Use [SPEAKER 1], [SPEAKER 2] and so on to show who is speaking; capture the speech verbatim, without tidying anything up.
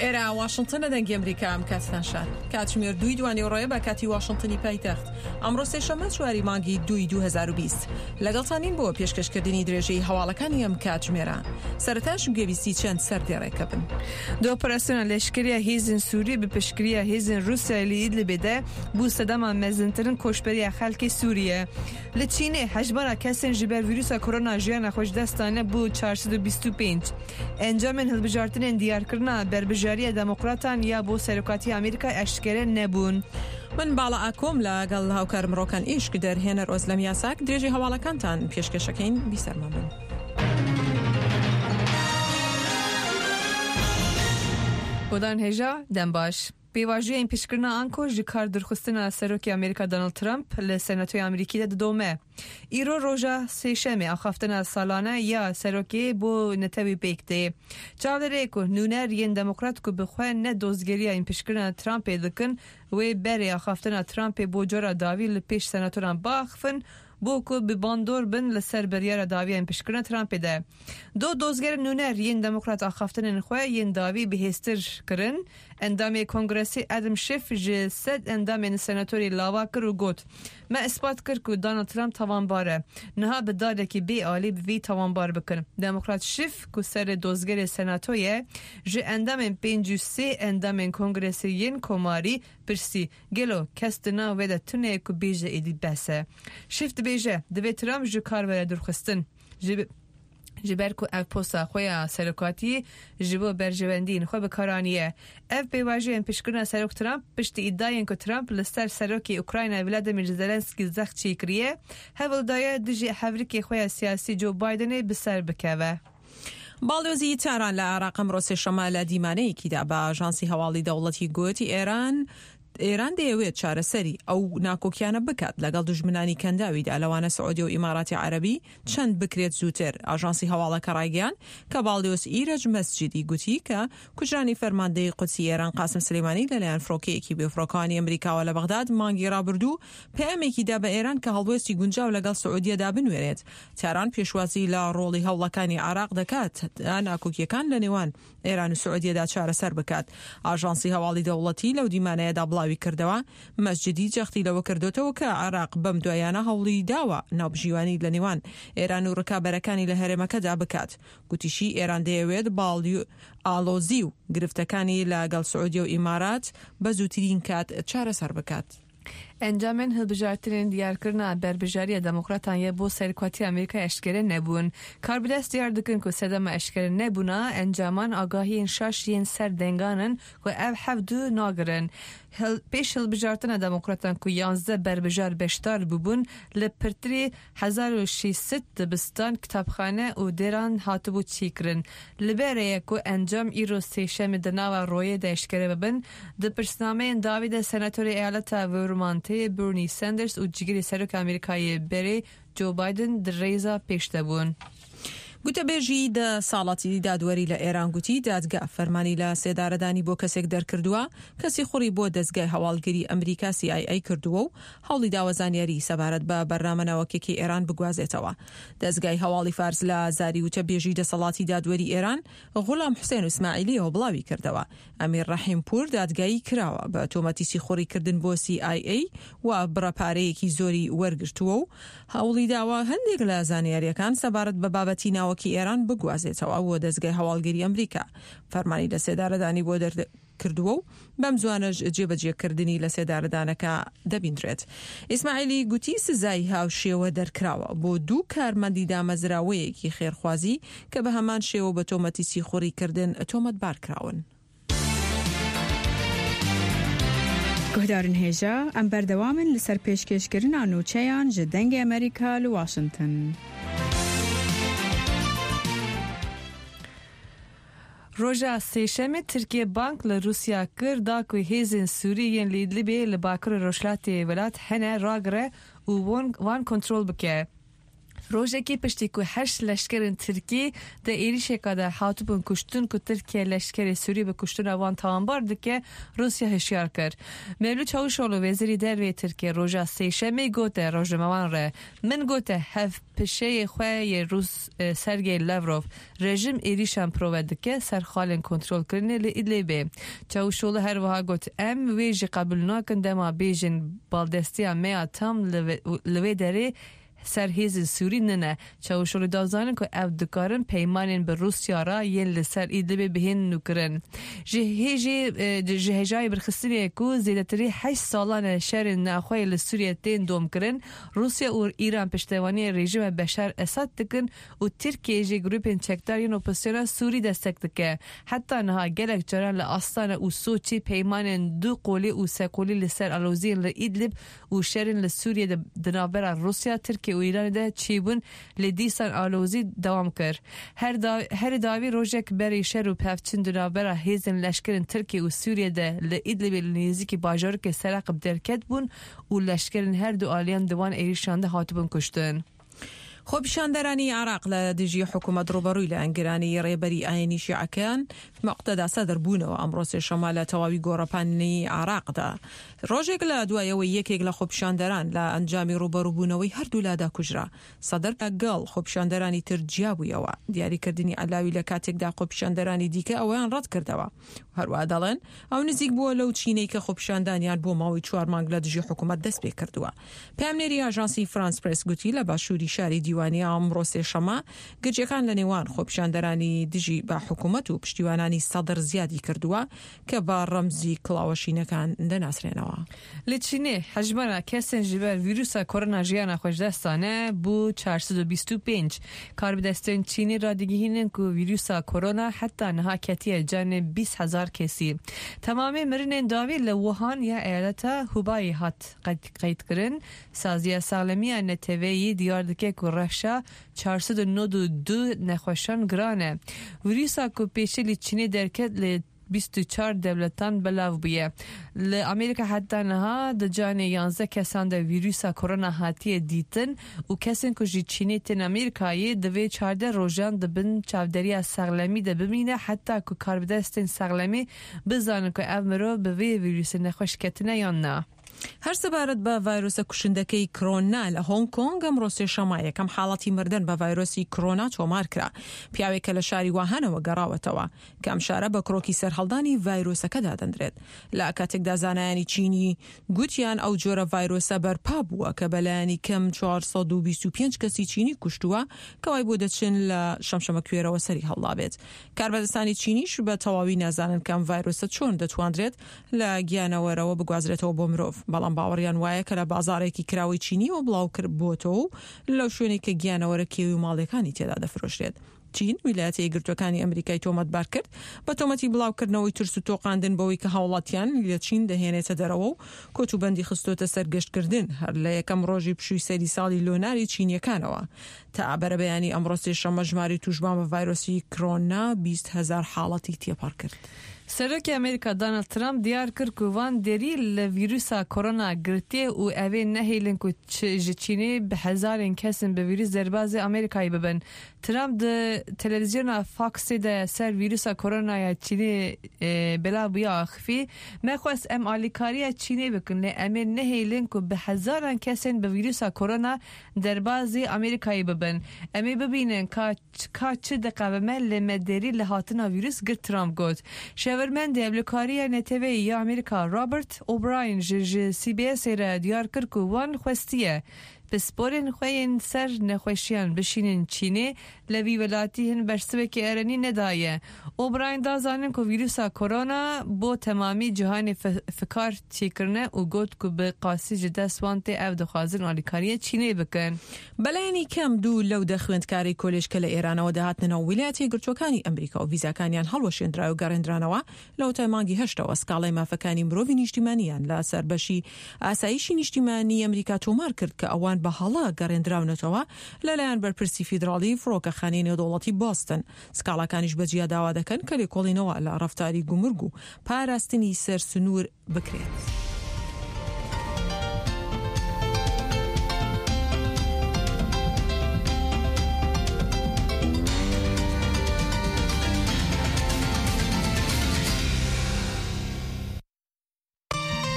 [SPEAKER 1] ئێرە واشنتنە، دەنگی ئەمریکا. ئەم کاتتان شاد. کاتژمێر دووی دوانیوەڕۆیە بە کاتی واشنتنی پایتەخت. ئەمڕۆ سێشەممە چواری مانگی دووی دوو هەزار و بیست. لەگەڵتانین بۆ پێشکەشکردنی درێژەی هەواڵەکانی ئەم کاتژمێرە. سەرەتاش گوێبیستی چەند سەردێڕێکە بن.
[SPEAKER 2] Di operasyona leşkeriya hêzên Sûrî bi piştgiriya hêzên Rûsyayê li Idlibê de bû sedema mezintirîn koçberiya xelkê Sûriye. Li Çînê hejmara kesên ji ber vîrusa korona jiyana xwe ji dest dane bû çar sed û bîst û pênc. Encamên hilbijartinên diyarkirina berbijariya Demokratan ya bo serokatiya Amerîka eşkere nebûn.
[SPEAKER 1] من باڵا ئاکۆم لەگەڵ هاوکارم ڕۆکان ئیشک، دەرهێنەر ئۆزلەم یاساک، درێژەی هەواڵەکانتان پێشکەشەکەین. بیسەرمان بن.
[SPEAKER 2] Guhdarên hêja, dem baş. Pêvajoya împîçkirina anko ji kar dûrxistina Serokê Amerîka Donald Trump li Senatoya Amerîkî de didome. Îro roja sêşemê axaftina salane ya serokê bo netewî pêk tê. Çavlêrê ku nûner yên Demokrat ku bi xwe ne dozgeriya împîçkirina Trumpê dikin, wê berê axaftina Trumpê bo cara dawî li pêş senatoran biaxivin bo ku bi bandor bin li ser biryara dawiya împîçkirina Trumpê de. Do dozgerên nûner yên Demokrat axaftinên xwe yên dawî bihêztir kirin. Endamê Kongresê Adam Schiff ji sed endamên senatorê lava kir û got: Me ispat kir ku Donald Trump tawanbar e. Niha bi dadekî bê alî bi vî tawanbar bikin. Demokrat Schiff ku serê dozgerê senatoyê ji endamên pêncî û sê endamên Kongresê yên Komarî pirsî: Gelo kes di nav we de tune ku bêje êdî bes e? Schiff dibêje divê Trump ji kar were dûrxistin. Ji ji ber ku ev posta xwe ya serokatiyê ji bo berjewendiyên xwe bi kar aniye. Ev pêvajoya împîçkirina Serok Trump piştî îdiayên ku Trump li ser Serokê Ukrayna Vladimir Zelenski zext çêkiriye, hewl daye dijî hevrikê xwe ya siyasî Joe Bidenê bi ser bikeve.
[SPEAKER 1] باڵیۆزی تاران لە عێراق ئەمڕۆ سێشەممە لە دیمانەیەکیدا بە ئاژانسی هەواڵی دەوڵەتی گوتی ئێران ئێران دەیەوێت چارەسەری ئەو ناکۆکیانە بکات لەگەڵ دوژمنانی کەنداویدا، لەوانە سعودی و ئیماراتی عەرەبی، چەند بکرێت زووتر. ئاژانسی هەواڵەکە ڕایگەیاند کە باڵیۆز ئیرەج مەسجدی گوتی کە کوژرانی فەرماندەی قودسی ئێران قاسم سلێمانی لەلایەن فڕۆکەیەکی بێفڕۆکەوانی ئەمریکاوە لە بەغداد مانگی ڕابردوو پەیامێکی دا بە ئێران کە هەڵوێستی گونجاو لەگەڵ سعودیەدا بنوێنێت. تاران پێشوازی لە ڕۆڵی هەوڵەکانی عێراق دەکات تا ناکۆکیەکان لە نێوان ئێران و سعودیەدا چارەسەر بکات. ئاژانسی هەواڵی دەوڵەتی لەو دیمانەیەدا بڵاوی کردەوە مەسجدی جەختی لەوە کردوتەوە کە عێراق بەم دوایانە هەوڵی داوە ناوبژیوانی لە نێوان ئێران و ڕکابەرەکانی لە هەرێمەکەدا بکات. گوتیشی ئێران دەیەوێت ئاڵۆزی و گرفتەکانی لەگەڵ سعودیە و ئیمارات بە زووترین کات چارەسەر بکات.
[SPEAKER 2] Encamên hilbijartinên diyarkirina berbijariya Demokratan ya bo serokatiya Amerîka eşkere nebûn. Karbidest diyar dikin ku sedema eşkere nebûna encaman agahiyên şaş yên ser dengan in ku ew hev du nagirin. Pêş hilbijartina Demokratan ku yanzdeh berbijar beşdar bûbûn, li pirtirî hezar û şeş sed dibistan, kitapxane û dêran hatibû çêkirin. Li berê ye ku encam îro sêşemê di nava royê de eşkere bibin. Di pirsnameyên dawî de senatorê eyaleta Vermontê Bernie Sanders û cîgirê Serokê Amerîkayê berê Joe Biden di rêza pêş de bûn.
[SPEAKER 1] گوتەبێژی دەسەڵاتی دادوەری لە ئێران گوتی دادگا فەرمانی لە سێدارەدانی بۆ کەسێک دەرکردووە کە سیخوڕی بۆ دەزگای هەواڵگری ئەمریکا C I A کردووە و هەوڵی داوە زانیاری سەبارەت بە بەرنامە ناوەکیەکەی ئێران بگوازێتەوە. دەزگای هەواڵی فارس لە زاری وتەبێژی دەسەڵاتی دادوەری ئێران غوڵام حوسێن ئیسماعیلیەوە بڵاوی کردەوە ئەمیر ڕەحیم پوور دادگایی کراوە بە تۆمەتی سیخوڕیکردن بۆ C I A و بڕە پارەیەکی زۆری وەرگرتووە و هەوڵی داوە هەندێک لە زانیاریەکان سەبارەت بە بابەتی ناوەکی ئێران بگوازێتەوە بۆ دەزگای هەواڵگری ئەمریکا. فەرمانی لە سێدارەدانی بۆ دەرکردووە و بەم زوانەش جێبەجێکردنی لە سێدارەدانەکە دەبیندرێت. ئیسماعیلی گوتی سزای هاوشێوە دەرکراوە بۆ دوو کارمەندی دامەزراوەیەکی خێرخوازی کە بە هەمان شێوە بە تۆمەتی سیخوڕیکردن تۆمەتبار کراون.
[SPEAKER 3] Guhdarên hêja, em berdewamin li ser pêşkêşkirina nûçeyan ji Dengê Amerîka li Washington.
[SPEAKER 2] Roja sêşemê Tirkiye bang li Rûsya kir da ku hêzên Sûrî yên li Idlibê li bakurê rojhilatê welat hene ragire û wan kontrol bike. Rojekê piştî ku heşt leşkerên Tirkî di êrişeka de hatibûn kuştin ku Tirkiye leşkerê Sûrî bi kuştina wan tawanbar dike, Rûsya hişyar kir. Mevlut Çavuşoğlu wezîrê derveyê Tirkiye roja sêşemê gote rojnamevan re min gote hevpişeyê xwe yê Rûs Sergey Lavrov rejim êrişan prove dike ser xalên kontrolkirinê li Idlibê. Çavuşoğlu her wiha got em wê jî qebûl nakin dema bêjin baldestiya me ya tam li wê derê ser hêzên Sûrî nine. Çavuşoğlu da zanîn ku ew dikarin peymanên bi Rûsya re yên li ser Idlibê bihên nûkirin. Ji hêjê ji hêjayê birxistinê ku zêdetirî heşt salan e şerên navxweyê li Sûriye tên domkirin, Rûsya û Îran piştevaniyê rejîma Beşar Esad dikin û Tirkiye jî grûpên çekdar yên opozisyona Sûrî destek dike. Heta niha gelek caran li Astana û Soçî peymanên du qolî û seqolî li ser aloziyên li Idlib û şerên li Sûriye di navbera Rûsya, Tirkiye û Îranê de çêbûn lê dîsan alozî dewam kir. Her da, her dawî rojek berê şer û pevçûn di navbera hêzên leşkerên Tirkiye û Sûriye de li Idlibê li nêzîkî bajarokê Seraqib derket bûn û leşkerên her du aliyan di wan êrişan de hatibûn kuştin.
[SPEAKER 1] خۆپیشاندەرانی عێراق لە دژی حکوومەت ڕووبەڕووی لایەنگرانی ڕێبەری ئایینی شیعەکان موقتەدا سەدر بوونەوە ئەمڕۆ سێشەممە لە تەواوی گۆڕەپانی عێراقدا. ڕۆژێک لە دوایەوەی یەکێک لە خۆپیشاندەران لە ئەنجامی ڕووبەڕووبوونەوەی هەردوولادا کوژرا. سەدر لەگەڵ خۆپیشاندەرانی تر جیابوویەوە. دیاریکردنی عەلاوی لە کاتێکدا خۆپیشاندەرانی دیکە ئەوەیان ڕەت کردەوە. هەروەها دەڵێن ئەو نزیک بووە لەو چینەی کە خۆپیشاندانیان بۆ ماوەی چوار مانگ لە دژی حکوومەت دەست پێ کردووە. پەیامنێری ئاژانسی فرانس پرێس گوتی لە باشووری شاری دیوانیە ئەمڕۆ سێشەممە گرژیەکان لە نێوان خۆپیشاندەرانی دژی بە حکوومەت و پشتیوانانی سەدر زیادی کردووە کە بە ڕەمزی کڵاوەشینەکان دەناسرێنەوە.
[SPEAKER 2] Li Çînê hejmara kesên ji ber vîrusa korona jiyana xwe ji dest dane bû çar sed û bîst û pênc. Karbidestên Çînê radigihînin ku vîrusa korona heta niha ketiye canê bîst hezar kesî. Temamê mirinên dawî li Wuhan ya eyaleta Hubei hat qeydkirin. Saziya Saxlemiya Neteweyî diyar dike ku rewşa çar sed û nod û du nexweşan giran e. Vîrusa ku pêşî li Çînê derket li bîst û çar dewletan belav bûye. Li Amerîka heta niha di canê yanzdeh kesan de vîrusa korona hatiye dîtin û kesên ku ji Çînê tên Amerîkayê divê çardeh rojan di bin çavderiya saxlemî de bimîne heta ku karbidestên saxlemî bizanin ku ev mirov bi vê vîrusê nexweş ketine yan na.
[SPEAKER 1] هەر سەبارەت بە ڤایرۆسە کوشندەکەی کرۆنا لە هۆنگ کۆنگ ئەمڕۆ سێشەممە یەکەم حاڵەتی مردن بە ڤایرۆسی کرۆنا تۆمار کرا. پیاوێک کە لە شاری واهانەوە گەڕاوەتەوە کە ئەم شارە بە کرۆکی سەرهەڵدانی ڤایرۆسەکە دادەندرێت. لە کاتێکدا زانایانی چینی گوتیان ئەو جۆرە ڤایرۆسە بەرپا بووە کە بەلایەنی کەم چوار سەد و بیست و پێنج کەسی چینی کوشتووە کە وای بۆ دەچن لە شەمشەمەکوێرەوە سەری هەڵدابێت. کاربەدەستانی چینیش بە تەواوی نازانن کە ئەم ڤایرۆسە چۆن دەتواندرێت لە گیانەوەرەوە بگوازرێتەوە بۆ مرۆڤ. بەڵام باوەڕیان وایە کە لە بازارێکی کراوەی چینیەوە بڵاو کردبووەتەوە و لەو شوێنێک کە گیانەوەرە کێوی و ماڵیەکانی تێدا دەفرۆشرێت. چین ویلایەتە یەکگرتووەکانی ئەمریکای تۆمەتبار کرد بە تۆمەتی بڵاوکردنەوەی ترس و تۆقاندن بەوەی کە هاوڵاتیان لە چین دەهێنێتە دەرەوە و کۆتوبەندی خستۆتە سەر گەشتکردن هەر لە یەکەم ڕۆژی پشووی سەری ساڵی لۆناری چینیەکانەوە. تا بەرەبەیانی ئەمڕۆ سێشەممە ژمارەی تووشبووان بە ڤایرۆسی کرۆنا بیست هەزار حاڵەتی تێپەڕ کرد.
[SPEAKER 2] Serokê Amerîka Donald Trump diyar kir ku van derî li vîrusa korona girtiye û ew ê nehêlin ku ji Çînê bi hezarên kesên bi vîrus derbazê Amerîkayê bibin. Trump di televîzyona Foxê de ser vîrusa koronaya Çînê belav bûye axivî. Me xwest em alîkariya Çînê bikin lê em ê nehêlin ku bi hezaran kesên bi vîrusa korona derbazê Amerîkayê bibin. Em ê bibînin ka ka çi diqewime lê me derî li hatina vîrus girt Trump got. Şêwirmendê Ewlekariya Neteweyî ya Amerîka Robert O'Brien ji ji C B S'ê re diyar kir ku wan xwestiye pisporên xwe yên ser nexweşiyan bişînin Çînê li vî welatî hin bersivekê erenî nedaye. O'Brien da zanîn ku vîrusa korona bo temamî cîhanê fikar çêkirine û got ku bi qasî ji dest wan tê ew dixwazin alîkariya Çînê bikin.
[SPEAKER 1] بەلایەنی کەم دوو لەو دە خوێندکاری کۆلێژ کە لە ئێرانەوە دەهاتنەوە ویلایەتە یەکگرتووەکانی ئەمریکا و ڤیزاکانیان هەڵوەشێندرا و گەڕێندرانەوە لەوەتای مانگی هەشتەوە سکاڵای مافەکانی مرۆڤی نیشتیمانیان لە سەربەشی ئاسایشی نیشتیمانی ئەمریکا تۆمار کرد کە ئەوان بە هەڵە گەڕێندراونەتەوە لەلایەن بەرپرسی فیدراڵی فڕۆکەخانەی نێودەوڵەتی بۆستن. سکاڵاکانیش بەجیا داوا دەکەن کە لێکۆڵینەوە لە ڕەفتاری گومرگ و پاراستنی سەر سنوور بکرێت.